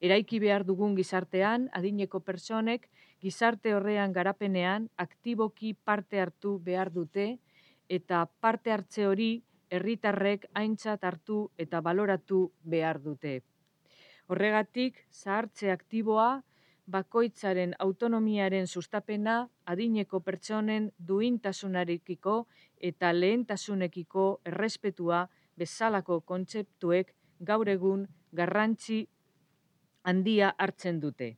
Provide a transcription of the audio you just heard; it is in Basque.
Eraiki behar dugun gizartean, adineko pertsonek gizarte horrean garapenean aktiboki parte hartu behar dute eta parte hartze hori herritarrek aintzat hartu eta baloratu behar dute. Horregatik, zahartze aktiboa, bakoitzaren autonomiaren sustapena, adineko pertsonen duintasunarekiko eta lehentasunekiko errespetua bezalako kontzeptuek gaur egun garrantzi handia hartzen dute.